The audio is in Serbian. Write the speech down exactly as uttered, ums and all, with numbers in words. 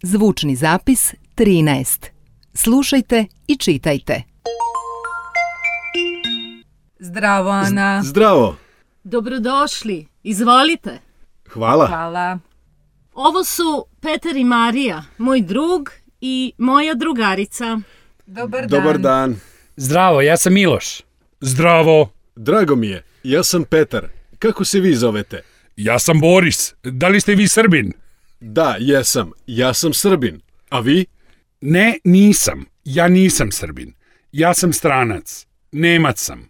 Zvučni zapis trinaest. Slušajte i čitajte. Zdravo, Ana. Z- Zdravo. Dobrodošli. Izvolite. Hvala. Hvala. Ovo su Petar i Marija, moj drug i moja drugarica. Dobar dan. Dobar dan. Zdravo, ja sam Miloš. Zdravo. Drago mi je. Ja sam Petar. Kako se vi zovete? Ja sam Boris. Da li ste vi Srbin? Da, jesam. Ja sam Srbin. A vi? Ne, nisam. Ja nisam Srbin. Ja sam stranac. Nemac sam.